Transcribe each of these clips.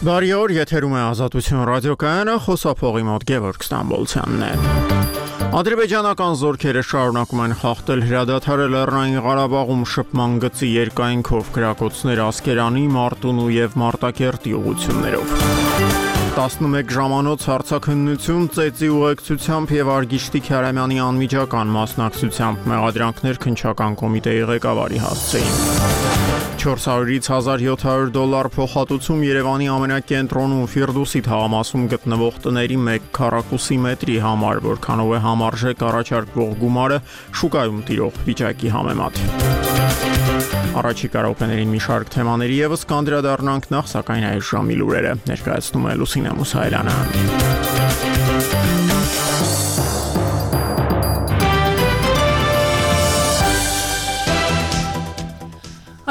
Բարի օր, եթերում է Ազատություն ռադիոկայանը, խոսափողի մոտ Գևորգ Ստամբոլցյանն է։ Ադրբեջանական զորքերը շարունակում են խախտել հրադադարել Լեռնային Ղարաբաղում շփման գծի երկայնքով գրակոծներ Ասկերանի, Մարտունու եւ Մարտակերտի ուղղություններով։ 11 ժամանոց հարցաքննություն ծեծի ուղեկցությամբ եւ Արգիշտի Քարամյանի անմիջական մասնակցությամբ մեղադրանքներ քննչական կոմիտեի ղեկավարի հասցեին։ 400-ից $1700 փոխհատուցում Երևանի ամենակենտրոնում Ֆիրդուսի թաղամասում գտնվող տների 1 քառակուսի մետրի համար, որքանով է համարժեք առաջարկվող գումարը շուկայում տիրող վիճակի համեմատ։ Առաջիկա րոպեներին մի շարք թեմաների եւս կանդրադառնանք, նախ սակայն այս ժամի լուրերը ներկայացնում է Լուսինե Մուսայելյանը։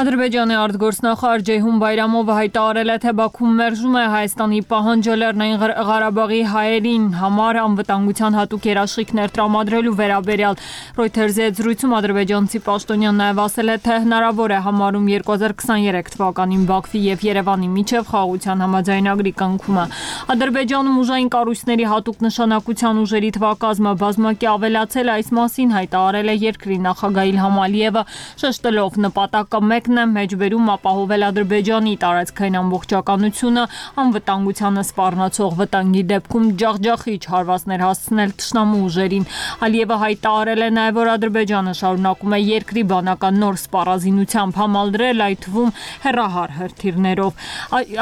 Ադրբեջանի արտգործնախարար Ջեյհուն Բայրամովը հայտարարել է, թե Բաքուն մերժում է Հայաստանի պահանջը Լեռնային Ղարաբաղի հայերին համար անվտանգության հատուկ երաշխիքներ տրամադրելու վերաբերյալ։ Reuters-ի հետ զրույցում ադրբեջանցի պաշտոնյան նաև ասել է, թե հնարավոր է համարում 2023 թվականին Բաքվի եւ Երևանի միջև խաղաղության համաձայնագրի կնքումը։ Ադրբեջանում ուժային կառույցների հատուկ նշանակության ուժերի թվակազմը բազմակի ավելացել է, այս մասին հայտարարել է երկրի նախագահ Իլհամ Ալիևը, շեշտելով նպատակը մեկն է մեջբերում ապահովել Ադրբեջանի տարածքային ամբողջականությունը, անվտանգությանը սպառնացող վտանգի դեպքում ջախջախիչ հարվածներ հասցնել թշնամու ուժերին։ Ալիևը հայտարարել է նաև, որ Ադրբեջանը շարունակում է երկրի բանական նոր սպառազինությամբ համալրել, այդ թվում հեռահար հրթիռներով։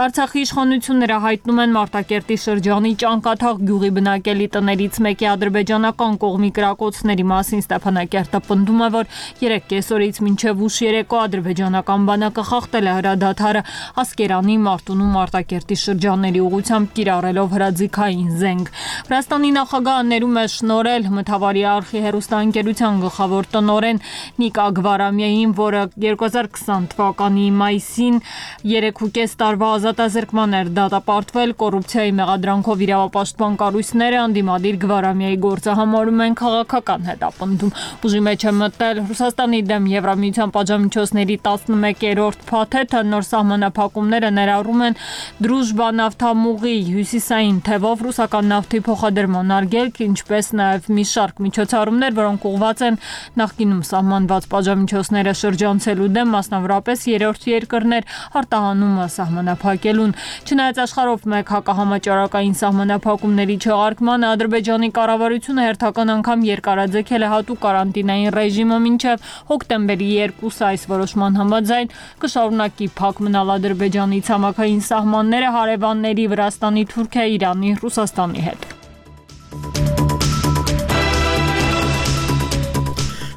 Արցախի իշխանությունները հայտնում են Մարտակերտի շրջանի Ճանկաթաղ գյուղի բնակելի տներից մեկի ադրբեջանական կողմի կրակոցների մասին Ստեփանակերտը պնդում է, որ 3 կեսօրից մինչև ուշ երեկո ադրբեջանական բանակը խախտել է հրադադարը Ասկերանի, Մարտունու, Մարտակերտի շրջանների ուղղությամբ կիրառելով հրաձիգային զենք։ Վրաստանի նախագահը ներում է շնորհել Մթավարի արխի հեռուստաընկերության գլխավոր տնօրեն Նիկա Գվարամյային, որը 2020 թվականի մայիսին 3.5 տարվա ազատազրկման էր դատապարտվել կոռուպցիայի մեղադրանքով իրավապաշտպան կառույցները ընդդիմադիր Գվարամյայի գործը համարում են քաղաքական հետապնդում։ Ուժի մեջ է մտել Ռուսաստանի դեմ Եվրամիության պատժամիջոցների 11-րդ փաթեթը, նոր սահմանափակումները ներառում են Դրուժբա նավթամուղի հյուսիսային թևով ռուսական նավթի փոխադրման արգելք, ինչպես նաև մի շարք միջոցառումներ, որոնք ուղղված են նախկինում սահմանված պատժամիջոցները շրջանցելու դեմ, մասնավորապես երրորդ երկրներ արտահանումը սահմանափակելուն։ Չնայած աշխարհով մեկ հակահամաճարակային սահմանափակումների չեղարկմանը, Ադրբեջանի կառավարությունը հերթական անգամ երկարաձգել է հատուկ կարանտինային ռեժիմը մինչև հոկտեմբերի 2-ը։ Այս որոշման համաձայն կշարունակի փակ մնալ Ադրբեջանի ցամաքային սահմանները հարևանների Վրաստանի, Թուրքիայի, Իրանի, Ռուսաստանի հետ։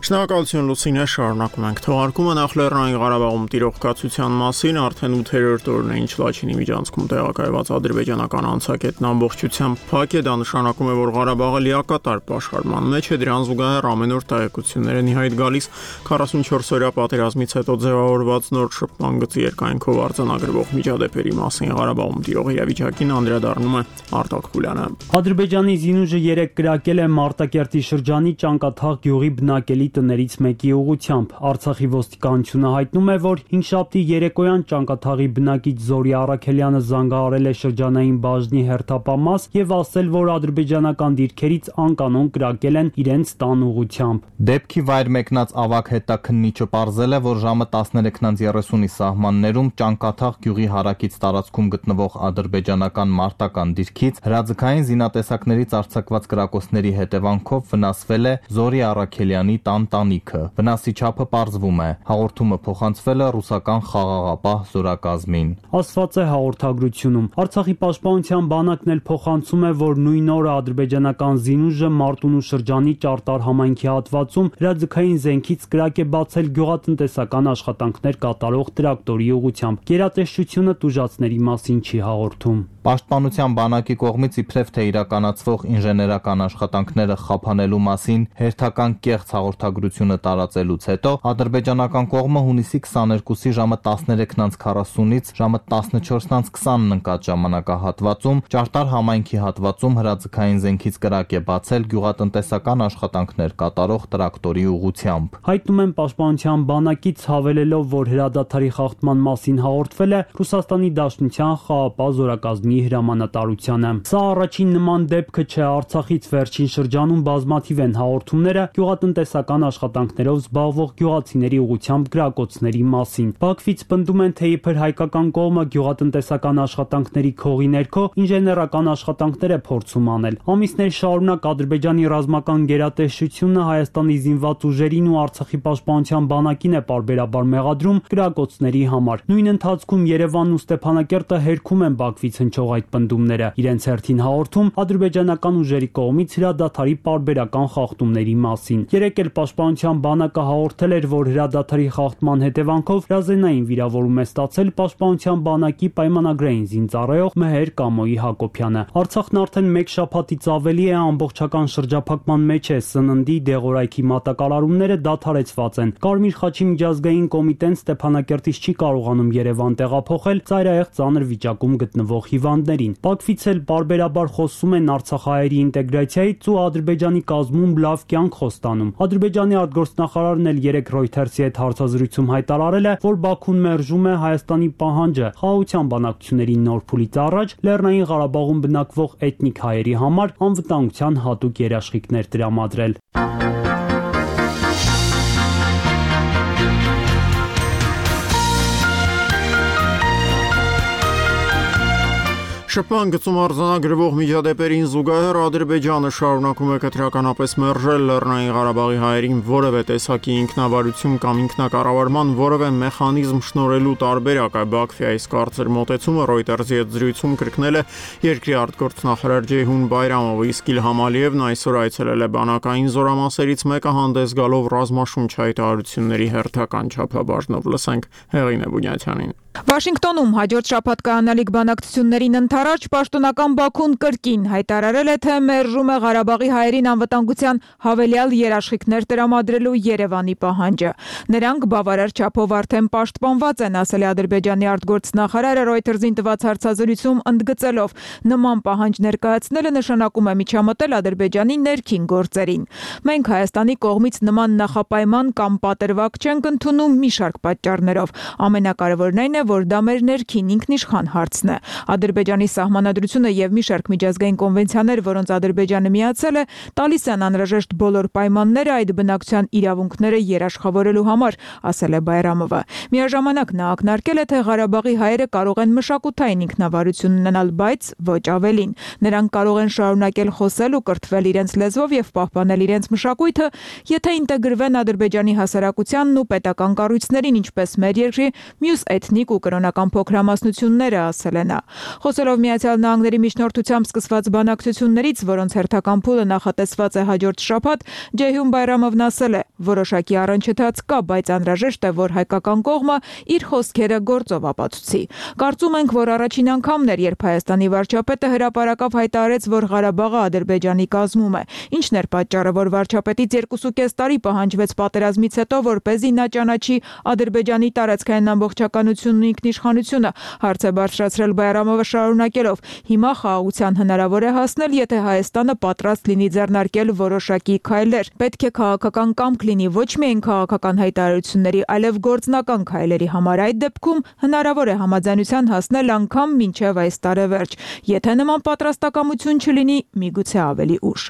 Շնորհակալություն Լուսինե, շարունակում ենք թողարկումը։ Նախ Լեռնային Ղարաբաղում տիրող կացության մասին արդեն 8-րդ օրն է, ինչ Լաչինի միջանցքում տեղակայված ադրբեջանական անցակետն ամբողջությամբ փակ է, դա նշանակում է, որ Ղարաբաղը լիակատար պաշարման մեջ է, դրան զուգահեռ ամեն օր տեղեկություններ են իհայտ գալիս 44-օրյա պատերազմից հետո ձևավորված նոր շփման գծի երկայնքով արձանագրվող միջադեպերի մասին։ Ղարաբաղում տիրող իրավիճակին անդրադառնում է Արտակ Խուլյանը։ Ադրբեջանի զինուժը 3 կրակել է Մարտակերտի շրջանի Ճանկաթաղ գյուղի բնակելի տներից մեկի ուղղությամբ։ Արցախի ոստիկանությունը հայտնում է, որ հինգշաբթի երեկոյան Ճանկաթաղի բնակիչ Զորի Առաքելյանը զանգահարել է շրջանային բաժնի հերթապամաս եւ ասել, որ ադրբեջանական դիրքերից անկանոն կրակել են իրենց տան ուղղությամբ։ Դեպքի վայր մեկնած ավագ հետաքննիչը պարզել է, որ ժամը 13:30-ի սահմաններում Ճանկաթաղ գյուղի հարակից տարածքում գտնվող ադրբեջանական մարտական դիրքից հրաձգային զինատեսակներից արձակված կրակոցների հետևանքով վնասվել է Զորի Առաքելյանի տանտանիքը։ Վնասի չափը պարզվում է։ Հաղորդումը փոխանցվել է ռուսական խաղաղապահ զորակազմին։ Ասված է հաղորդագրությունում։ Արցախի պաշտպանության բանակն էլ փոխանցում է, որ նույն օրը ադրբեջանական զինուժը Մարտունու շրջանի Ճարտար համայնքի հատվածում հրաձգային զենքից կրակ է բացել գյուղատնտեսական աշխատանքներ կատարող տրակտորի ուղղությամբ։ Գերատեսչությունը տուժածների մասին չի հաղորդում։ Պաշտպանության բանակի կողմից իբրև թե իրականացվող ինժեներական աշխատանքները խափանելու մասին հերթական կեղծ հաղորդագրությունը տարածելուց հետո ադրբեջանական կողմը հունիսի 22-ի ժամը 13:40-ից ժամը 14:20-ն ընկած ժամանակահատվածում Ճարտար համայնքի հատվածում հրաձգային զենքից կրակ է բացել գյուղատնտեսական աշխատանքներ կատարող տրակտորի ուղղությամբ։ Հայտնում են պաշտպանության բանակից հավելելով, որ հրադադարի խախտման մասին հաղորդվել է Ռուսաստանի Դաշնության խաղապահ զորակազմի հրամանատարությանը։ Սա առաջին նման դեպքը չէ, Արցախից վերջին շրջանում բազմաթիվ են հաղորդումները գյուղատնտեսական աշխատանքներով զբաղվող գյուղացիների ուղղությամբ գրակոծների մասին։ Բաքվից պնդում են, թե իբր հայկական կողմը գյուղատնտեսական աշխատանքների քողի ներքո ինժեներական աշխատանքներ է փորձում անել։ Ամիսներ շարունակ Ադրբեջանի ռազմական գերատեսչությունը Հայաստանի զինված ուժերին ու Արցախի պաշտպանության բանակին է պարբերաբար մեղադրում գրակոծների համար։ Նույն ընթացքում Երևանն ու Ստեփանակերտը հերքում են Բաքվից հնչող այդ պնդումները։ Իրենց հերթին հաղորդում ադրբեջանական ուժերի կողմից հրադադարի պարբերական խախտումների մասին։ Երեկ էլ պաշտպանության բանակը հաղորդել էր, որ հրադադարի խախտման հետևանքով հրազենային վիրավորում է ստացել պաշտպանության բանակի պայմանագրային զինծառայող Մեհեր Կամոյի Հակոբյանը։ Արցախն արդեն մեկ շաբաթից ավելի է ամբողջական շրջափակման մեջ է, սննդի, դեղորայքի մատակարարումները դադարեցված են։ Կարմիր խաչի միջազգային կոմիտեն Ստեփանակերտից չի կարողանում Երևան տեղափոխել ծայրահեղ ծանր վիճակում գտնվող հիվանդներին։ Բաքվից էլ պարբերաբար խոսում են արցախահայերի ինտեգրացիայից ու Ադրբեջանի կազմում լավ կյանք խոստանում։ Ադրբեջանի արտգործնախարարն էլ երեկ Reuters-ի հետ հարցազրույցում հայտարարել է, որ Բաքուն մերժում է Հայաստանի պահանջը խաղաղության բանակցությունների նոր փուլից առաջ Լեռնային Ղարաբաղում բնակվող էթնիկ հայերի համար անվտանգության հատուկ երաշխիքներ տրամադրել։ Շփման գծում արձանագրվող միջադեպերին զուգահեռ Ադրբեջանը շարունակում է կտրականապես մերժել Լեռնային Ղարաբաղի հայերին որևէ տեսակի ինքնավարություն կամ ինքնակառավարման որևէ մեխանիզմ շնորհելու տարբերակը։ Բաքվի այս կարծր մոտեցումը Reuters-ի հետ զրույցում կրկնել է երկրի արտգործնախարար Ջեյհուն Բայրամովը, իսկ Իլհամ Ալիևն այսօր այցելել է բանակային զորամասերից մեկը հանդես գալով ռազմաշունչ հայտարարությունների հերթական չափաբաժնով։ Լսենք Հեղինե Բունյաթյանին։ Վաշինգտոնում հաջորդ շաբաթ կայանալիք բանակցություններին ընթരാճ պաշտոնական Բաքուն կրկին հայտարարել է, թե մերժում է Ղարաբաղի հայերին անվտանգության հավելյալ երաշխիքներ տրամադրելու Երևանի պահանջը։ Նրանք բավարար չափով արդեն պաշտպանված են, ասել է Ադրբեջանի արտգործնախարարը Reuters-ին տված հարցազրույցում, ընդգծելով, նման պահանջ ներկայացնելը նշանակում է միջամտել Ադրբեջանի ներքին գործերին։ Մենք Հայաստանի կողմից նման նախապայման կամ պատրվակ չենք ընդունում մի շարք պատճառներով։ Ամենակարևորն այն է, որ դա մեր ներքին ինքնիշխան հարցն է։ Ադրբեջանի սահմանադրությունը եւ մի շարք միջազգային կոնվենցիաներ, որոնց Ադրբեջանը միացել է, տալիս են անհրաժեշտ բոլոր պայմանները այդ բնակչության իրավունքները երաշխավորելու համար, ասել է Բայրամովը։ Միաժամանակ նա ակնարկել է, թե Ղարաբաղի հայերը կարող են մշակութային ինքնավարություն ունենալ, բայց ոչ ավելին։ Նրանք կարող են շարունակել խոսել ու կրթվել իրենց լեզվով եւ պահպանել իրենց մշակույթը, եթե ինտեգրվեն Ադրբեջանի հասարակությանն ու պետական կառույցներին, ինչպես մեր երկրի մյուս էթնիկ ու կրոնական փոքրամասնությունները, ասել է նա։ Խոսելով Միացյալ Նահանգների միջնորդությամբ սկսված բանակցություններից, որոնց հերթական փուլը նախատեսված է հաջորդ շաբաթ, Ջեյհուն Բայրամովն ասել է, որոշակի առնչթաց կա, բայց անհրաժեշտ է, որ հայկական կողմը իր խոսքերը գործով ապացուցի։ Կարծում ենք, որ առաջին անգամն էր, երբ Հայաստանի վարչապետը հրապարակավ հայտարարեց, որ Ղարաբաղը Ադրբեջանի կազմում է։ Ինչն էր պատճառը, որ վարչապետից 2.5 տարի պահանջվեց պատերազմից հետո, որպեսզի նա ճանաչի Ադրբեջանի տարածքային ամբողջականությունն ու ինքնիշխանությունը, հարց է բարձրացրել Բայրամովը, շարունակելով. հիմա խաղաղության հնարավոր է հասնել, եթե Հայաստանը պատրաստ լինի ձեռնարկել որոշակի քայլեր։ Պետք է քաղաքական կամք լինի ոչ միայն քաղաքական հայտարարությունների, այլև գործնական քայլերի համար։ Այդ դեպքում հնարավոր է համաձայնության հասնել անգամ մինչև այս տարեվերջ։ Եթե նման պատրաստակամություն չլինի, միգուցե ավելի ուշ։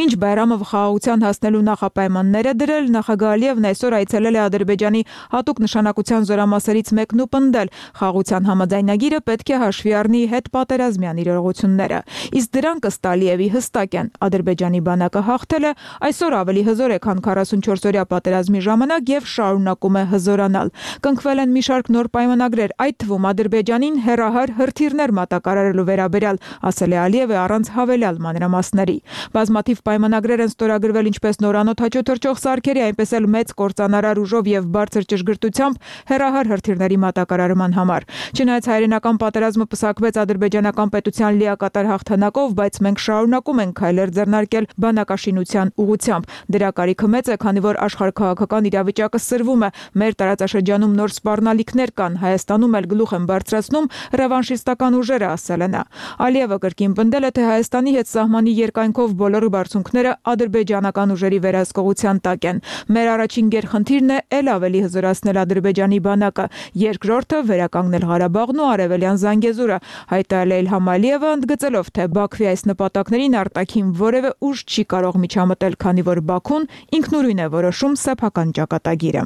Մինչ Բայրամովը խաղաղության հասնելու նախապայմանները դրել, նախագահ Ալիևն այսօր այցելել է Ադրբեջանի հատուկ նշանակության զորամասերից մեկն ու պնդել, խաղաղության համաձայնագիրը պետք է հաշվի առնի հետպատերազմյան իրողությունները։ Իսկ դրանք ըստ Ալիևի հստակ են։ Ադրբեջանի բանակը հաղթել է, այսօր ավելի հզոր է, քան 44-օրյա պատերազմի ժամանակ եւ շարունակում է հզորանալ։ Կնքվել են մի շարք նոր պայմանագրեր, այդ թվում Ադրբեջանին հերահար հրթիռներ մատակարարելու վերաբերյալ, ասել է Ալիևը առանց հավելյալ մանրամասների։ Բազմաթիվ պայմանագրեր են ստորագրվել ինչպես նորանոթ հաճոթրջող սարքերի, այնպես էլ մեծ կործանարար ուժով եւ բարձր ճշգրտությամբ հերահար հրթիռների մատակարարման համար։ Չնայած հայրենական պատերազմը պսակվեց Ադրբեջանի ադրբեջանական պետության լիակատար հաղթանակով, բայց մենք շարունակում ենք քայլեր ձեռնարկել բանակաշինության ուղղությամբ։ Դրա կարիքը մեծ է, քանի որ աշխարհաքաղաքական իրավիճակը սրվում է։ Մեր տարածաշրջանում նոր սպառնալիքներ կան, Հայաստանում էլ գլուխ են բարձրացնում ռևանշիստական ուժերը, ասել է նա։ Ալիևը կրկին պնդել է, թե Հայաստանի հետ սահմանի երկայնքով բոլոր բարձունքները ադրբեջանական ուժերի վերահսկողության տակ են։ Մեր առաջին գերխնդիրն է ել ավելի հզորացնել Ադրբեջանի բանակը, երկրորդը վերականգնել Ղարաբաղն ու Արևելյան Զանգեզուրը, հայտարարել է Իլհամ Ալիևը, ընդգծելով, թե Բաքվի այս նպատակներին արտաքին որևէ ուժ չի կարող միջամտել, քանի որ Բաքուն ինքնուրույն է որոշում սեփական ճակատագիրը։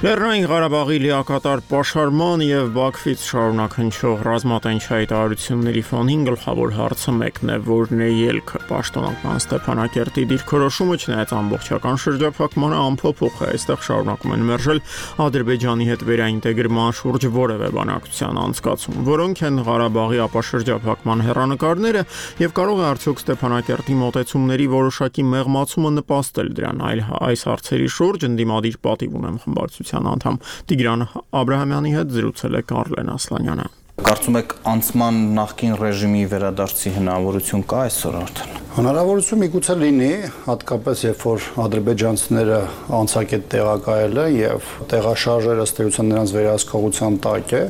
Լեռնային Ղարաբաղի լիակատար պաշարման եւ Բաքվից շարունակ հնչող ռազմատենչ հայտարարությունների ֆոնին գլխավոր հարցը մեկն է, որն է ելքը։ Պաշտոնական Ստեփանակերտի դիրքորոշումը չնայած ամբողջական շրջափակմանը ամփոփող է, այստեղ շարունակում են մերժել Ադրբեջանի հետ վերաինտեգրման շուրջ որևէ բանակցության անցկացում, որոնք են Ղարաբաղի ապաշրջափակման հեռանկարները եւ կարող է արդյոք Ստեփանակերտի մոտեցումների որոշակի մեղմացումը նպաստել դրան, այլ այս հարցերի շուրջ ընդդիմադիր պատիվ ունեմ խմբակցության անդամ Տիգրան Աբրահամյանի հետ զրուցել է Կարլեն Ասլանյանը։ Կարծում եք անցման նախկին ռեժիմի վերադարձի հնարավորություն կա այսօր արդեն։ Հնարավորություն միգուցե լինի, հատկապես երբ որ ադրբեջանցիները անցակետ տեղակայել են եւ տեղաշարժերը ըստ էության նրանց վերահսկողության տակ է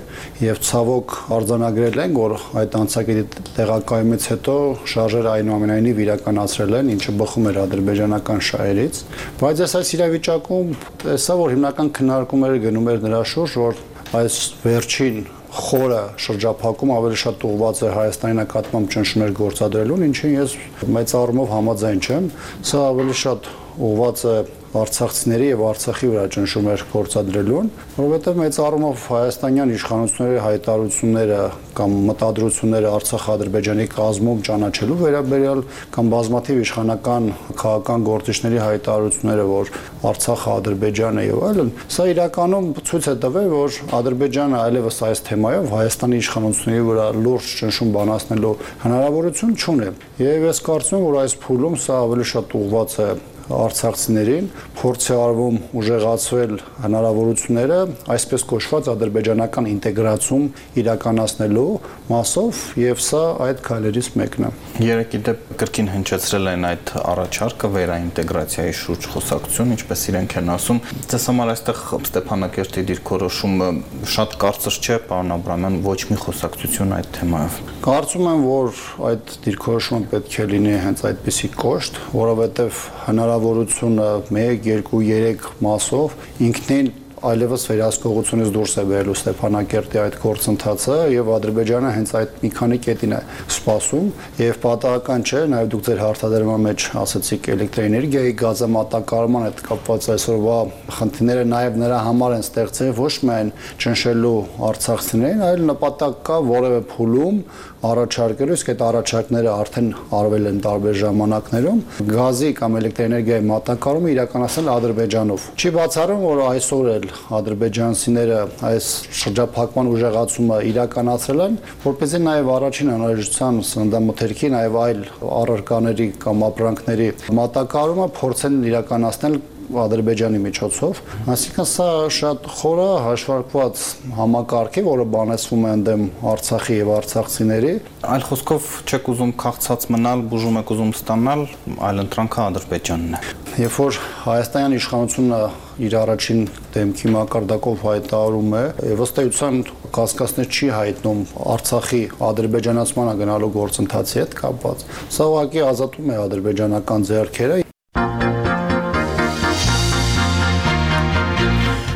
եւ ցավոք արձանագրել են, որ այդ անցակետի տեղակայումից հետո շարժերը այնուամենայնիվ իրականացրել են, ինչը բխում էր ադրբեջանական շահերից, բայց այս իրավիճակում տեսա, որ հիմնական քննարկումները գնում էր նրա շուրջ, որ այս վերջին խորը շրջափակում ավելի շատ ուղղված է Հայաստանի նկատմամբ ճնշումներ գործադրելուն, ինչին ես մեծ առումով համաձայն չեմ, սա ավելի շատ ուղղված է արցախցիների եւ Արցախի վրա ճնշումներ գործադրելուն, որովհետեւ մեծ առումով հայաստանյան իշխանությունների հայտարարությունները կամ մտադրությունները Արցախ-Ադրբեջանի կազմում ճանաչելու վերաբերյալ կամ բազմաթիվ իշխանական քաղաքական գործիչների հայտարարությունները, որ Արցախը Ադրբեջան է եւ այլն, սա իրականում ցույց է տվել, որ Ադրբեջանը այլևս այս թեմայով Հայաստանի իշխանությունների վրա լուրջ ճնշում բանացնելու հնարավորություն չունի։ Եվ ես կարծում եմ, որ այս փուլում սա ավելի շատ ուղղված է արցախցիներին, փորձ է արվում ուժեղացվել հնարավորությունները այսպես կոչված ադրբեջանական ինտեգրացում իրականացնելու մասով եւ սա այդ քայլերից մեկն է։ Երեք դեպ կրկին հնչեցրել են այդ առաջարկը վերաինտեգրացիայի շուրջ խոսակցություն, ինչպես իրենք են ասում։ Ձեզ համար այստեղ Ստեփանակերտի դիրքորոշումը շատ կարծր չէ, պարոն Աբրահամյան, ոչ մի խոսակցություն այդ թեմայով։ Կարծում եմ, որ այդ դիրքորոշումը պետք է լինի հենց այդպիսի կոշտ, որովհետեւ հնարավորությունը 1, 2, 3 մասով ինքնին այլևս վերահսկողությունից դուրս է բերելու Ստեփանակերտի այդ գործընթացը եւ Ադրբեջանը հենց այդ մի քանի կետին է սպասում եւ պատահական չէ, նաեւ դուք ձեր հարցադրման մեջ ասացիք էլեկտրոէներգիայի գազամատակարարման հետ կապված այսօրվա խնդիրները նաեւ նրա համար են ստեղծել ոչ միայն ճնշելու արցախցիներին, այլ նպատակ կա որևէ փուլում առաջարկելու, իսկ այդ առաջարկները արդեն արվել են տարբեր ժամանակներում, գազի կամ էլեկտրոէներգիայի մատակարարումը իրականացնել Ադրբեջանով։ Չի բացառում, որ այսօր էլ ադրբեջանցիները այս շրջափակման ուժեղացումը իրականացրել են, որպեսզի նաև առաջին անհրաժեշտության սննդամթերքի, նաև այլ առարկաների կամ ապրանքների մատակարարումը փորձեն իրականացնել Ադրբեջանի միջոցով, այսինքն սա շատ խորը հաշվարկված համակարգ է, որը բանեցվում է ընդդեմ Արցախի եւ արցախցիների։ Այլ խոսքով չեք ուզում քաղցած մնալ, բուժում եք ուզում ստանալ, այլ ընտրանքը Ադրբեջանն է։ Երբ որ հայաստանյան իշխանությունը իր առաջին դեմքի մակարդակով հայտարարում է, եւ ըստ էության կասկածներ չի հայտնում Արցախի ադրբեջանացմանը գնալու գործընթացի հետ կապված, սա ուղղակի ազատում է ադրբեջանական ձեռքերը։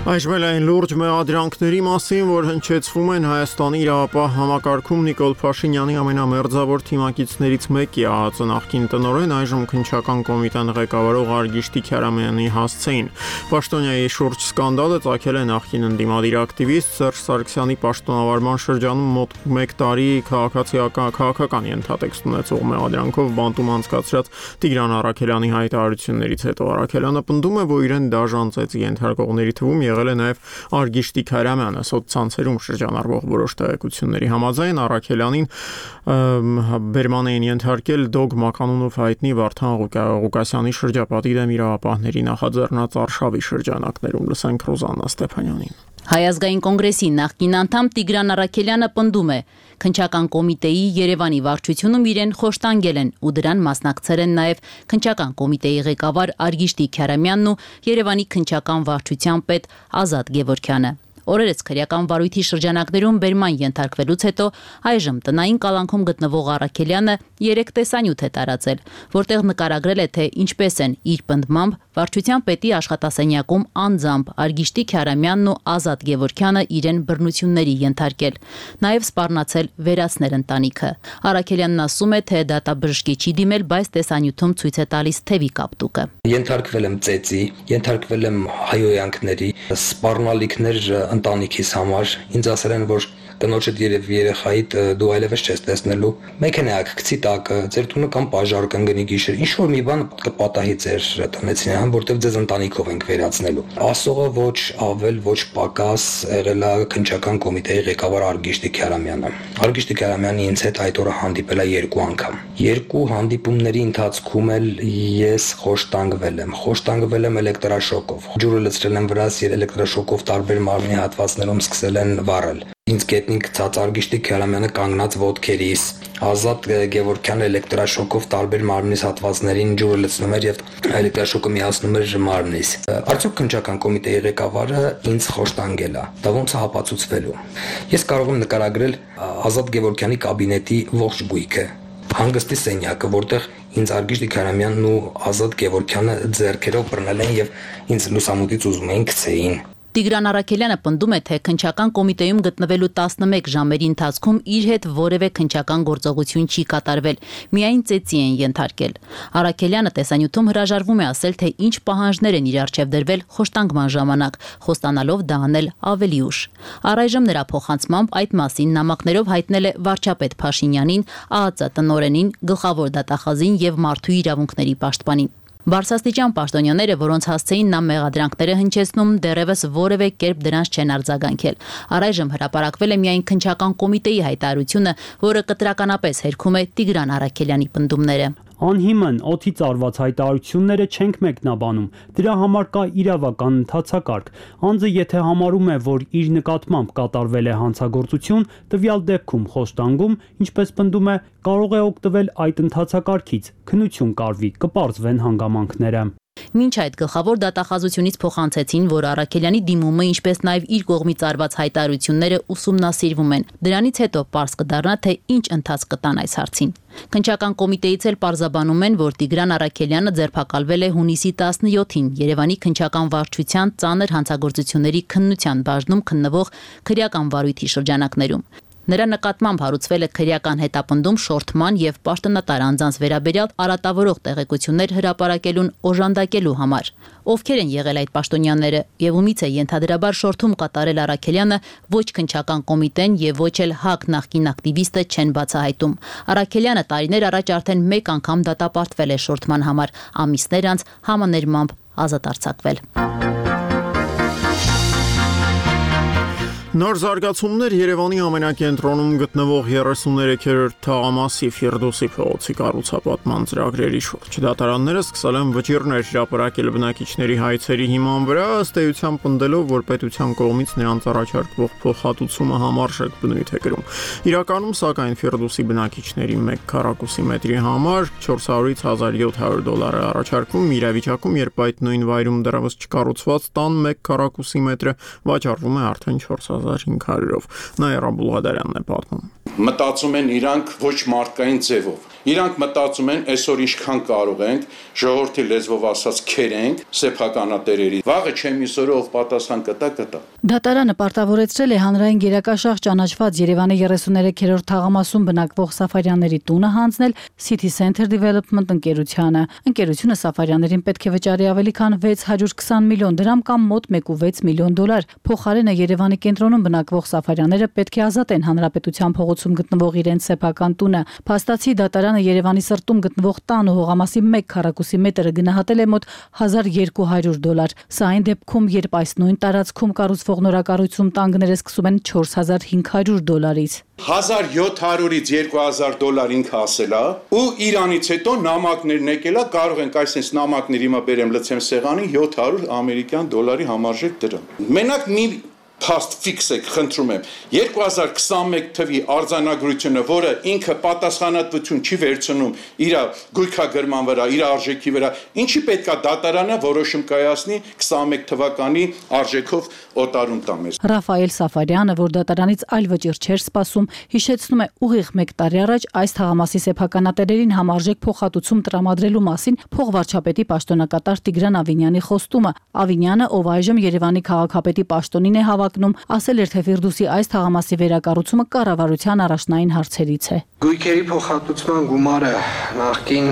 Այժմ այն լուրջ մեղադրանքների մասին, որ հնչեցվում են Հայաստանի իրավապահ համակարգում Նիկոլ Փաշինյանի ամենամերձավոր թիմակիցներից մեկի ԱԱԾ նախկին տնօրեն, այժմ քննչական կոմիտեն ղեկավարող Արգիշտի Քյարամյանի հասցեին։ Պաշտոնյայի շուրջ սկանդալը ծագել է նախկին ընդդիմադիր ակտիվիստ Սերժ Սարգսյանի պաշտոնավարման շրջանում մոտ 1 տարի քաղաքական ենթատեքստ ունեցող մեղադրանքով բանտում անցկացրած Տիգրան Առաքելյանի հայտարարություններից հետո Առաքելյանը պնդում է, որ իրեն դաժանցեց ենթարկողների թվում եղել է նաև Արգիշտի Քյարամյանը։ Սոցցանցերում շրջանառվող որոշ տեղեկությունների համաձայն Առաքելյանին բերման էին ենթարկել դոգմա կանոնով հայտնի Վարդան Ղուկասյանի շրջապատի դեմ իրավապահների նախաձեռնած արշավի շրջանակներում։ Լսենք Ռոզաննա Ստեփանյանին։ Հայ ազգային կոնգրեսի նախկին անդամ Տիգրան Առաքելյանը պնդում է, քննչական կոմիտեի Երևանի վարչությունում իրեն խոշտանգել են ու դրան մասնակցել են նաև քննչական կոմիտեի ղեկավար Արգիշտի Քյարամյանն ու Երևանի քննչական վարչության պետ Ազատ Գևորգյանը։ Օրերս քրեական վարույթի շրջանակներում բերման ենթարկվելուց հետո այժմ տնային կալանքում գտնվող Առաքելյանը 3 տեսանյութ է տարածել, որտեղ նկարագրել է, թե ինչպես են իր պնդմամբ վարչության պետի աշխատասենյակում անձամբ Արգիշտի Քյարամյանն ու Ազատ Գևորգյանը իրեն բռնությունների ենթարկել, նաև սպառնացել վերացնել ընտանիքը։ Առաքելյանն ասում է, թե դատաբժշկի չի դիմել, բայց տեսանյութում ցույց է տալիս թևի կապտուկը։ Ենթարկվել եմ ծեծի, ենթարկվել եմ հայոյանքների, սպառնալիքներ ընտանիքիս համար, ինձ ասել են, որ կնոջդ երևի երեխայիդ դու այլևս չես տեսնելու, մեքենայակ գցի տակը, ձեր տունը կամ պաժար կընկնի գիշեր, ինչ որ մի բան կպատահի ձեր տնեցին, որտեղ ձեզ ընտանիքով ենք վերացնելու։ Ասողը ոչ ավել, ոչ պակաս եղել է քննչական կոմիտեի ղեկավար Արգիշտի Քյարամյանը։ Արգիշտի Քյարամյանը ինձ հետ այդ օրը հանդիպել է 2 անգամ։ 2 հանդիպումների ընթացքում էլ ես խոշտանգվել եմ էլեկտրաշոկով։ Ջուրը լցրել եմ վրաս, էլեկտրաշոկով տարբեր մարմնի հատվածներում սկսել են վառել։ Ինձ գետնին գցած Արգիշտի Քյարամյանը կանգնած ոտքերիս, Ազատ Գևորգյանը էլեկտրաշոկով տարբեր մարմնիս հատվածներին ջուրը լցնում էր եւ էլեկտրաշոկը միացնում էր մարմնիս։ Արդյոք քննչական կոմիտեի ղեկավարը ինձ խոշտանգել է։ Դա ոնց է հապացուցվելու։ Ես կարող եմ նկարագրել Ազատ Գևորգյանի կաբինետի ողջ գույքը, հանգստի սենյակը, որտեղ ինձ Արգիշտի Քյարամյանն ու Ազատ Գևորգյանը ձեռքերով բռնել են եւ ինձ լուսամուտից ուզում էին գցեին։ Տիգրան Առաքելյանը պնդում է, թե քննչական կոմիտեում գտնվելու 11 ժամերի ընթացքում իր հետ որևէ քննչական գործողություն չի կատարվել, միայն ծեծի են ենթարկել։ Առաքելյանը տեսանյութում հրաժարվում է ասել, թե ինչ պահանջներ են իր առջև դրվել խոշտանգման ժամանակ, խոստանալով դա անել ավելի ուշ։ Առայժմ նրա փոխանցմամբ այդ մասին նամակներով հայտնել է վարչապետ Փաշինյանին, ԱԱԾ տնօրենին, գլխավոր դատախազին եւ մարդու իրավունքների պաշտպանին։ Բարձրաստիճան պաշտոնյաները, որոնց հասցեին նա մեղադրանքները հնչեցնում, դեռևս որևէ կերպ դրանց չեն արձագանքել։ Առայժմ հրապարակվել է միայն քննչական կոմիտեի հայտարարությունը, որը կտրականապես հերքում է Տիգրան Առաքելյանի պնդումները։ Անհիմն օդից արված հայտարարությունները չենք մեկնաբանում, դրա համար կա իրավական ընթացակարգ։ Անձը եթե համարում է, որ իր նկատմամբ կատարվել է հանցագործություն, տվյալ դեպքում խոշտանգում, ինչպես պնդում է, կարող է օգտվել այդ ընթացակարգից, քննություն կարվի, կպարզվեն հանգամանքները։ Մինչ այդ գլխավոր դատախազությունից փոխանցեցին, որ Առաքելյանի դիմումը, ինչպես նաև իր կողմից արված հայտարարությունները ուսումնասիրվում են։ Դրանից հետո պարզ կդառնա, թե ինչ ընթացք կտան այս հարցին։ Քննչական կոմիտեից էլ պարզաբանում են, որ Տիգրան Առաքելյանը ձերբակալվել է հունիսի 17-ին Երևանի քննչական վարչության ծանր հանցագործությունների քննության բաժնում քննվող քրեական վարույթի շրջանակներում։ Նրա նկատմամբ հարուցվել է քրեական հետապնդում շորթման եւ պաշտոնատար անձանց վերաբերյալ արատավորող տեղեկություններ հրապարակելուն օժանդակելու համար։ Ովքեր են եղել այդ պաշտոնյաները եւ ումից է ենթադրաբար շորթում կատարել Առաքելյանը, ոչ քննչական կոմիտեն եւ ոչ էլ ՀԱԿ նախկին ակտիվիստը չեն բացահայտում։ Առաքելյանը տարիներ առաջ արդեն 1 անգամ դատապարտվել է շորթման համար, ամիսներ անց համաներմամբ ազատ արձակվել։ Նոր զարգացումներ Երևանի ամենակենտրոնում գտնվող 33-րդ թաղամասի Ֆիրդուսի փողոցի կառուցապատման ծրագրերի շուրջ։ Դատարանները սկսել են վճիռներ հրապարակել բնակիչների հայցերի հիման վրա, ըստ էության պնդելով, որ պետության կողմից նրանց առաջարկվող փոխհատուցումը համարժեք բնույթ է կրում։ Իրականում, սակայն, Ֆիրդուսի բնակիչների 1 քառակուսի մետրի համար 400-ից $1700 է առաջարկվում իրավիճակում, երբ այդ նույն վայրում դեռևս չկառուցված տան 1 քառակուսի մետրը վաճառվում է արդեն 4500-ով։ Նաիրա Բուլղադարյանն է պատմում։ Մտածում են իրանք ոչ մարդկային ձևով։ Իրանք մտածում են այսօր ինչքան կարող ենք, ժողովրդի լեզվով ասած քերենք սեփականատերերի։ Վաղը չեմ իսօրը ով պատասխան կտա։ Դատարանը պարտավորեցրել է հանրային գերակաշաղ ճանաչված Երևանի 33-րդ թաղամասում բնակվող Սաֆարյանների տունը հանձնել City Center Development ընկերությանը։ Ընկերությունը Սաֆարյաններին պետք է վճարի ավելի քան 620 միլիոն դրամ կամ մոտ 1.6 միլիոն դոլար։ Փոխարենը Երևանի կենտրոնում բնակվող Սաֆարյանները պետք է ազատեն հանրապետության փողոցում գտնվող իրենց սեփական տունը։ Փաստացի դատարանը Երևանի սրտում գտնվող տան ու հողամասի 1 քառակուսի մետրը գնահատել է մոտ $1200։ Սա այն դեպքում, երբ այս նույն տարածքում կառուցվող նորակառույցում տանգները սկսում են $4500-ից։ 1700-ից $2000 ինքը ասելա ու Իրանից հետո նամակներն եկելա, կարող ենք այսպես նամակներ հիմա բերեմ լցեմ սեղանի $700 ամերիկյան դոլարի համարժեք դրամ։ Մենակ մի փաստ ֆիքս եք, խնդրում եմ 2021 թվի արձանագրությունը, որը ինքը պատասխանատվություն չի վերցնում իր գույքագրման վրա, իր արժեքի վրա, ինչի պետքա դատարանը որոշում կայացնի 21 թվականի արժեքով օտարում տա մեզ։ Ռաֆայել Սաֆարյանը, որ դատարանից այլ վճիռ չէր սպասում, հիշեցնում է ուղիղ 1 տարի առաջ այս թաղամասի սեփականատերերին համարժեք փոխհատուցում տրամադրելու մասին փոխվարչապետի պաշտոնակատար Տիգրան Ավինյանի խոստումը։ Ավինյանը, ով այժմ Երևանի քաղաքապետի պաշտոնին է հավակնում, ասել էր, թե Ֆիրդուսի այս թաղամասի վերակառուցումը կառավարության առաջնային հարցերից է։ Գույքերի փոխհատուցման գումարը նախկին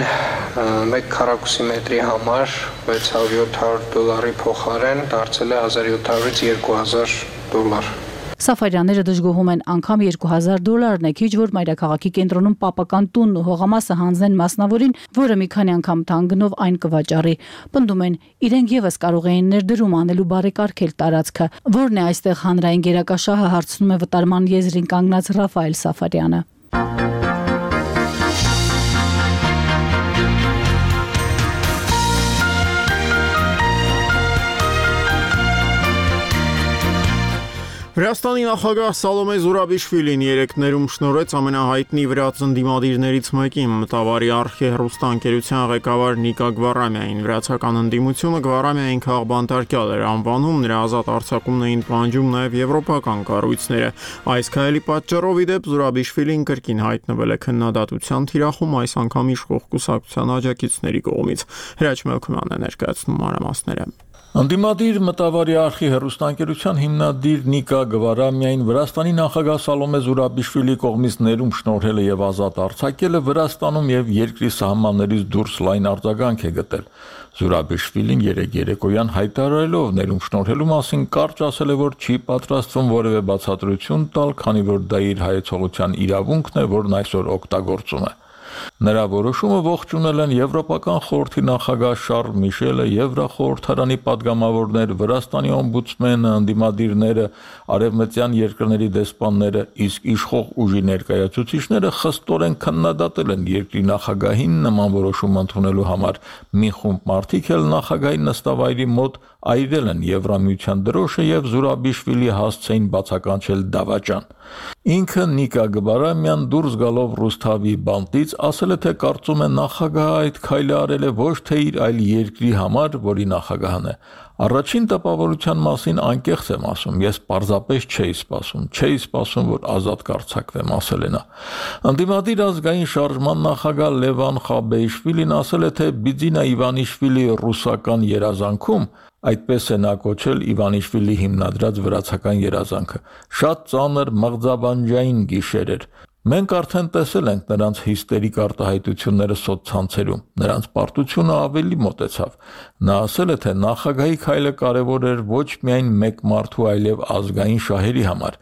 1 քառակուսի մետրի համար $600-700 փոխարեն դարձել է $1700-ից $2000։ Սաֆարյանները դժգոհում են, անգամ $2000 է քիչ, որ մայրաքաղաքի կենտրոնում պապական տունն ու հողամասը հանձնեն մասնավորին, որը մի քանի անգամ թանկգնով այն կվաճառի։ Պնդում են, իրենք եւս կարող էին ներդրում անելու բարեկարգել տարածքը, որն է այստեղ հանրային գերակաշահը, հարցնում է վտարման եզրին կանգնած Ռաֆայել Սաֆարյանը։ Վրաստանի նախագահ Սալոմե Զուրաբիշվիլին երեքներում շնորհեց ամենահայտնի վրաց ընդդիմադիրներից մեկին, մտավարի արխի հեռուստաընկերության ղեկավար Նիկա Գվարամյանին։ Վրացական ընդդիմությունը Գվարամյանին քաղբանտարկյալ էր անվանում, նրա ազատ արձակումն էին պահանջում նաև եվրոպական կառույցները։ Այս քայլի պատճառով ի դեպ Զուրաբիշվիլին կրկին հայտնվել է քննադատության թիրախում, այս անգամ իշխող կուսակցության աջակիցների կողմից։ Հրաչ Մելքումյանն է ներկայացնում մանրամասները։ Ընդդիմադիր մտավարի արխի հեռուստաընկերության հիմնադիր Նիկա Գվարամյանին Վրաստանի նախագահ Սալոմե Զուրաբիշվիլի կողմից ներում շնորհելը եւ ազատ արձակելը Վրաստանում եւ երկրի սահմաններից դուրս լայն արձագանք է գտել։ Զուրաբիշվիլին երեկոյան հայտարարելով ներում շնորհելու մասին կարճ ասել է, որ չի պատրաստվում որևէ բացատրություն տալ, քանի որ դա իր հայեցողության իրավունքն է, որն այսօր օգտագործում է։ Նրա որոշումը ողջունել են Եվրոպական խորհրդի նախագահ Շարլ Միշելը, Եվրախորհրդարանի падգամավորներ, Վրաստանի օմբուդսմենը, ընդդիմադիրները, արևմտյան երկրների դեսպանները, իսկ իշխող ուժի ներկայացուցիչները խստորեն քննադատել են երկրի նախագահին նման որոշում ընդունելու համար։ Մի խումբ մարդիկ էլ նախագահի նստավայրի մոտ այրել են Եվրամիության դրոշը եւ Զուրաբիշվիլի հասցեին բացականչել դավաճան։ Ինքը Նիկա Գվարամյան դուրս գալով Ռուսթավի բանտից ասել է, թե կարծում է նախագահը այդ քայլը արել է ոչ թե իր, այլ երկրի համար, որի նախագահն է։ Առաջին տպավորության մասին անկեղծ եմ ասում, ես պարզապես չէի սպասում, որ ազատ կարձակվեմ, ասել է նա։ Ընդդիմադիր ազգային շարժման նախագահ Լևան Խաբեիշվիլին ասել է, թե Բիձինա Իվանիշվիլի ռուսական երազանքում, այդպես է նա կոչել Իվանիշվիլի հիմնադրած վրացական երազանքը, շատ ծանր մղձավանջային գիշեր էր։ Մենք արդեն տեսել ենք նրանց հիստերիկ արտահայտությունները սոցցանցերում, նրանց պարտությունը ավելի մոտեցավ։ Նա ասել է, թե նախագահի քայլը կարևոր էր ոչ միայն մեկ մարդու, այլև ազգային շահերի համար։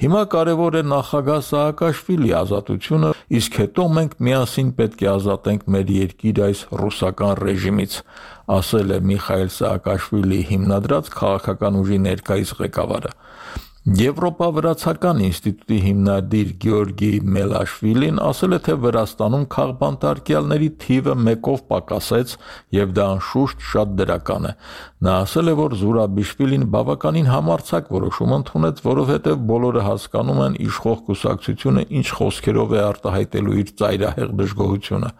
Հիմա կարևոր է նախագահ Սաակաշվիլի ազատությունը, իսկ հետո մենք միասին պետք է ազատենք մեր երկիր այս ռուսական ռեժիմից, ասել է Միխայել Սաակաշվիլի հիմնադրած քաղաքական ուժի ներկայիս ղեկավարը։ Եվրոպա-վրացական ինստիտուտի հիմնադիր Գեորգի Մելաշվիլին ասել է, թե Վրաստանում քաղբանտարկյալների թիվը 1-ով պակասեց եւ դա անշուշտ շատ դրական է։ Նա ասել է, որ Զուրաբիշվիլին բավականին համարձակ որոշում ընդունեց, որովհետեւ բոլորը հասկանում են իշխող կուսակցությունը ինչ խոսքերով է արտահայտելու իր ծայրահեղ դժգոհությունը։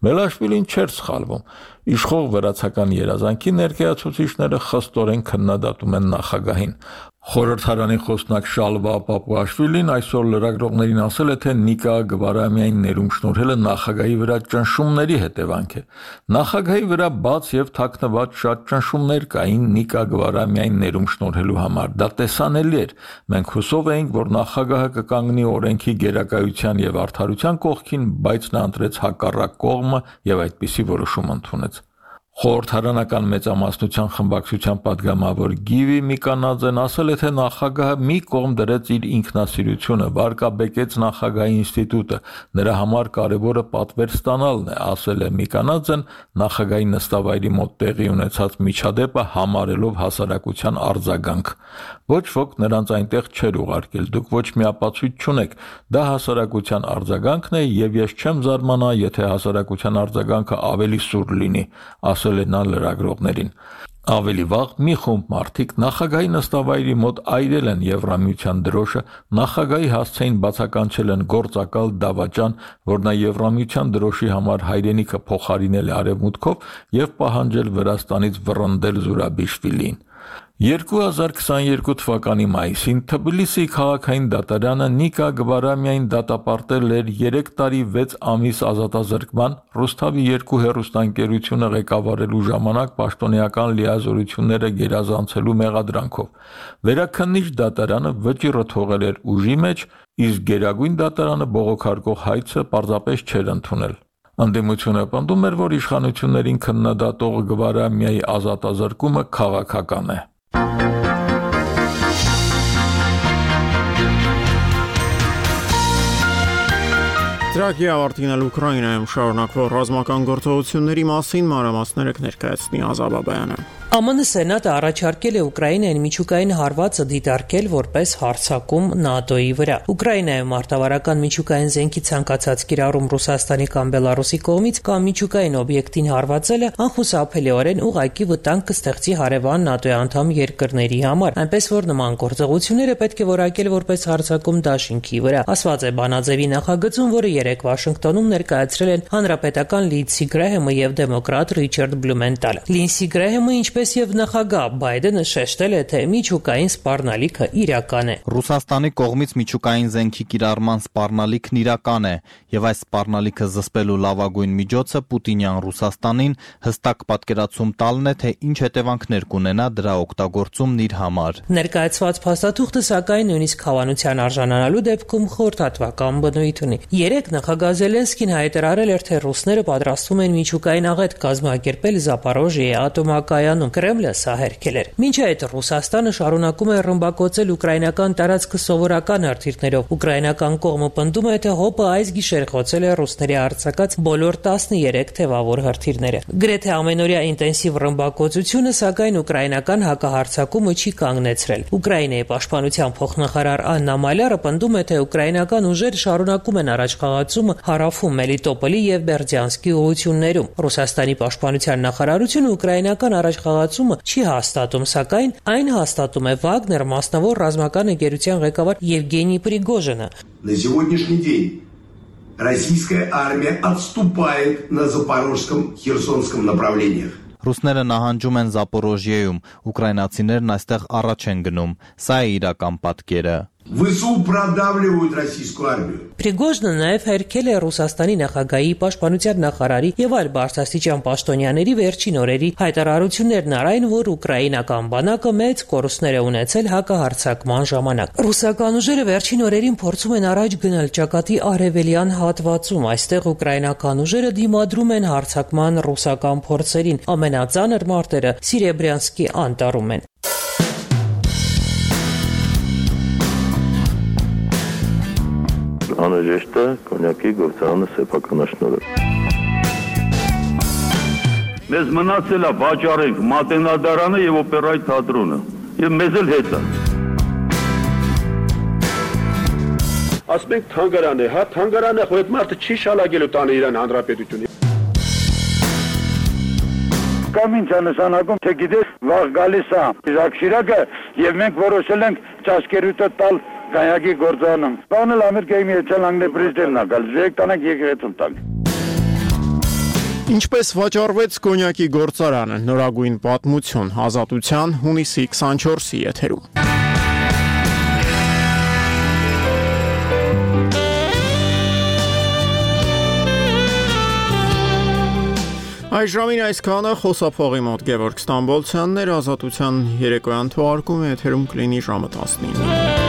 Մելաշվիլին չէր սխալվում։ Իշխող վրացական երազանքի ներկայացուցիչները խստորեն քննադատում են նախագահին։ Խորհրդարանի խոսնակ Շալվա Պապուաշվիլին այսօր լրագրողներին ասել է, թե Նիկա Գվարամյանին ներում շնորհելը նախագահի վրա ճնշումների հետևանք է։ Նախագահի վրա բաց եւ թաքնված շատ ճնշումներ կային Նիկա Գվարամյանին ներում շնորհելու համար։ Դա տեսանելի էր։ Մենք հուսով էինք, որ նախագահը կկանգնի օրենքի գերակայության եւ արդարության կողքին, բայց նա ընտրեց հակառակ կողմը եւ այդպիսի որոշում ընդունեց։ Խորհրդարանական մեծամասնության խմբակցության падգամավոր Գիվի Միկանաձեն ասել է, թե նախագահը մի կողմ դրեց իր ինքնասիրությունը, վարկաբեկեց նախագահի ինստիտուտը, նրա համար կարևորը պատվեր ստանալն է, ասել է Միկանաձեն նախագահի նստավայրի մոտ տեղի ունեցած միջադեպը համարելով հասարակության արձագանք։ Ոչ ոք նրանց այնտեղ չէր ուղարկել, դուք ոչ մի ապացույց չունեք, դա հասարակության արձագանքն է եւ ես չեմ զարմանա, եթե հասարակության արձագանքը ավելի սուր լինի, ասել է նա լրագրողներին։ Ավելի վաղ մի խումբ մարդիկ նախագահի նստավայրի մոտ այրել են Եվրամիության դրոշը, նախագահի հասցեին բացականչել են գործակալ դավաճան, որ նա Եվրամիության դրոշի համար հայրենիքը փոխարինել է արևմուտքով եւ պահանջել Վրաստանից վռնդել Զուրաբիշվիլին։ 2022 թվականի մայիսին Թբիլիսի քաղաքային դատարանը Նիկա Գվարամյային դատապարտել էր 3 տարի 6 ամիս ազատազրկման, Ռուսթավի 2 հեռուստաընկերությունը ղեկավարելու ժամանակ պաշտոնեական լիազորությունները գերազանցելու մեղադրանքով։ Վերաքննիչ դատարանը վճիռը թողել էր ուժի մեջ, իսկ Գերագույն դատարանը բողոքարկող հայցը պարզապես չէր ընդունել։ Ընդդիմությունը պնդում էր, որ իշխանություններին քննադատող Գվարամյայի ազատազրկումը քաղաքական է։ Ծրագիրը ավարտել Ուկրաինայում շարունակվող ռազմական գործողությունների մասին մանրամասները կներկայացնի Ազաբ Բաբայանը։ ԱՄՆ Սենատը առաջարկել է Ուկրաինային միջուկային հարվածը դիտարկել որպես հարձակում ՆԱՏՕ-ի վրա։ Ուկրաինայում մարտավարական միջուկային զենքի ցանկացած կիրառում Ռուսաստանի կամ Բելարուսի կողմից կամ միջուկային օբյեկտին հարվածելը անխուսափելիորեն ուղղակի վտանգ կստեղծի հարևան ՆԱՏՕ-ի անդամ երկրների համար, այնպես որ նման գործողությունները պետք է որակել որպես հարձակում դաշինքի վրա, ասված է բանաձևի նախագծում, որը երեկ Վաշինգտոնում ներկայացրել են հանրապետական Լինդսի Գրեհեմը եւ դեմոկրատ Ռիչարդ Բլումենտալը։ Լինդսի Գրեհեմը, ինչպես եւ նախագահ Բայդենը, շեշտել է, թե միջուկային սպառնալիքը իրական է։ Ռուսաստանի կողմից միջուկային զենքի կիրառման սպառնալիքն իրական է, եւ այս սպառնալիքը զսպելու լավագույն միջոցը Պուտինյան Ռուսաստանին հստակ պատկերացում տալն է, թե ինչ հետևանքներ կունենա դրա օգտագործումն իր համար։ Ներկայացված փաստաթուղթը սակայն նույնիսկ հավանության արժանանալու դեպքում խորհրդատվական բնույթ ունի։ Երեկ նախագահ Զելենսկին հայտարարել էր, թե ռուսները պատրաստվում են միջուկային աղետ կազմակերպել Զապորոժիեի ատոմակայանում։ Կրեմլը սա հերքել էր։ Մինչ այդ Ռուսաստանը շարունակում է ռմբակոծել ուկրաինական տարածքը սովորական հրթիռներով։ Ուկրաինական կողմը պնդում է, թե ՀՕՊ-ը այս գիշեր խոցել է ռուսների արձակած բոլոր 13 թևավոր հրթիռները։ Գրեթե ամենօրյա ինտենսիվ ռմբակոծությունը, սակայն ուկրաինական հակահարձակումը չի կանգնեցրել։ Ուկրաինայի պաշտպանության փոխնախարար Աննա Մալյարը պնդում է, թե ուկրաինական ուժերը շարունակում են առաջխաղացումը հարավում Մելիտոպոլի եւ Բերդյանսկի ուղղություններում։ Ռուսաստանի պաշտպանության նախարարությունը ուկրաինական առաջխաղացումը չի հաստատում, սակայն այն հաստատում է Վագներ մասնավոր ռազմական ընկերության ղեկավար Եվգենի Պրիգոժինը։ На сегодняшний день российская армия отступает на Запорожском, Херсонском направлениях. Ռուսները նահանջում են Զապորոժիեում, ուկրաինացիներն այստեղ առաջ են գնում։ Սա է իրական պատկերը։ ВСУ продавливают российскую армию. Պրիգոժինը նաև հերքել է Ռուսաստանի նախագահի, պաշտպանության նախարարի եւ այլ բարձրաստիճան պաշտոնյաների վերջին օրերի հայտարարություններն առայն, որ ուկրաինական բանակը մեծ կորուստներ է ունեցել հակահարձակման ժամանակ։ Ռուսական ուժերը վերջին օրերին փորձում են առաջ գնալ ճակատի արևելյան հատվածում։ Այստեղ ուկրաինական ուժերը դիմադրում են հարձակման ռուսական փորձերին։ Ամենածանր մարտերը Սիրեբրյանսկի անտառում են։ Անհրաժեշտ է կոնյակի գործարանը սեփականաշնորհել։ Մեզ մնացել է վաճառենք Մատենադարանը եւ օպերայի թատրոնը, եւ մեզ էլ հետ է։ Ասում ենք թանգարան է, հա, թանգարան է, այդ մարդը չի շալագելու տանը իրան հանրապետությունի։ Կամ ինչ է նշանակում, թե գիտես, վաղ գալիս է Ժակ Շիրակը եւ մենք որոշել ենք ճաշկերուտը տալ Կայակի գործանում։ Բանել Ամերիկայի Միացյալ Նահանգների պրեզիդենտն է գալ, եկեք տանանք եկեղեցում տանք։ Ինչպես վաճառվեց կոնյակի գործարանը, նորագույն պատմություն, Ազատության հունիսի 24-ի եթերում։ Այս ժամին այսքանը, խոսափողի մոտ Գևորգ Ստամբոլցյանն էր, Ազատության երեկոյան թողարկումը եթերում կլինի ժամը 19-ին։